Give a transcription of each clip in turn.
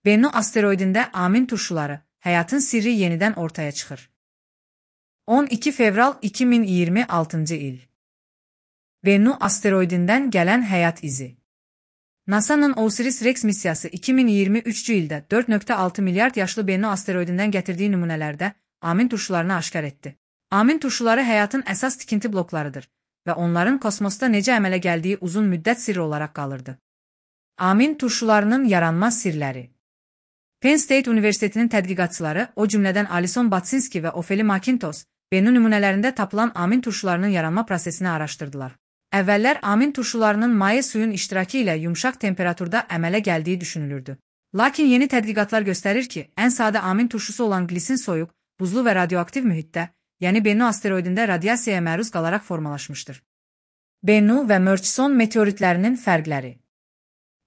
Bennu asteroidində amin turşuları, həyatın sirri yenidən ortaya çıxır. 12 fevral 2026-cı il. Bennu asteroidindən gələn həyat izi. NASA-nın OSIRIS-REx missiyası 2023-cü ildə 4,6 milyard yaşlı Bennu asteroidindən gətirdiyi nümunələrdə amin turşularını aşkar etdi. Amin turşuları həyatın əsas tikinti bloklarıdır və onların kosmosda necə əmələ gəldiyi uzun müddət sirri olaraq qalırdı. Amin turşularının yaranma sirləri. Penn State Universitetinin tədqiqatçıları, o cümlədən Alison Batsinski və Ofeli Makintos, Bennu nümunələrində tapılan amin turşularının yaranma prosesini araşdırdılar. Əvvəllər amin turşularının maye suyun iştirakı ilə yumşaq temperaturda əmələ gəldiyi düşünülürdü. Lakin yeni tədqiqatlar göstərir ki, ən sadə amin turşusu olan glisin soyuq, buzlu və radioaktiv mühitdə, yəni Bennu asteroidində radiasiyaya məruz qalaraq formalaşmışdır. Bennu və Murchison meteoritlərinin fərqləri.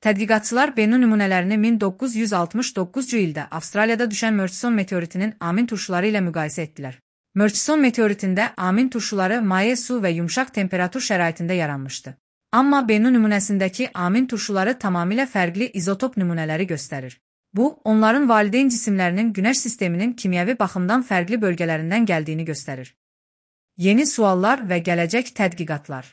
Tədqiqatçılar Bennu nümunələrini 1969-cu ildə Avstraliyada düşən Murchison meteoritinin amin turşuları ilə müqayisə etdilər. Murchison meteoritində amin turşuları maye su və yumşaq temperatur şəraitində yaranmışdı. Amma Bennu nümunəsindəki amin turşuları tamamilə fərqli izotop nümunələri göstərir. Bu, onların valideyn cisimlərinin Günəş sisteminin kimyəvi baxımdan fərqli bölgələrindən gəldiyini göstərir. Yeni suallar və gələcək tədqiqatlar.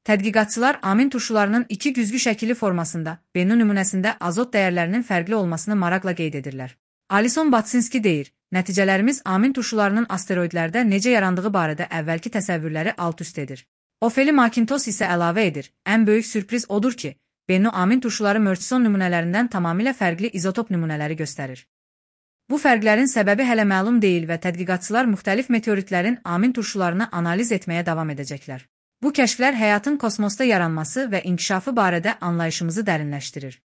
Tədqiqatçılar amin turşularının iki güzgü şəkilli formasında, Bennu nümunəsində azot dəyərlərinin fərqli olmasını maraqla qeyd edirlər. Alison Batsinski deyir, nəticələrimiz amin turşularının asteroidlərdə necə yarandığı barədə əvvəlki təsəvvürləri alt-üst edir. Ofeli Makintos isə əlavə edir, ən böyük sürpriz odur ki, Bennu amin turşuları Murchison nümunələrindən tamamilə fərqli izotop nümunələri göstərir. Bu fərqlərin səbəbi hələ məlum deyil və tədqiqatçılar müxtəlif meteoritlərin amin turşularını analiz etməyə davam edəcəklər. Bu kəşflər həyatın kosmosda yaranması və inkişafı barədə anlayışımızı dərinləşdirir.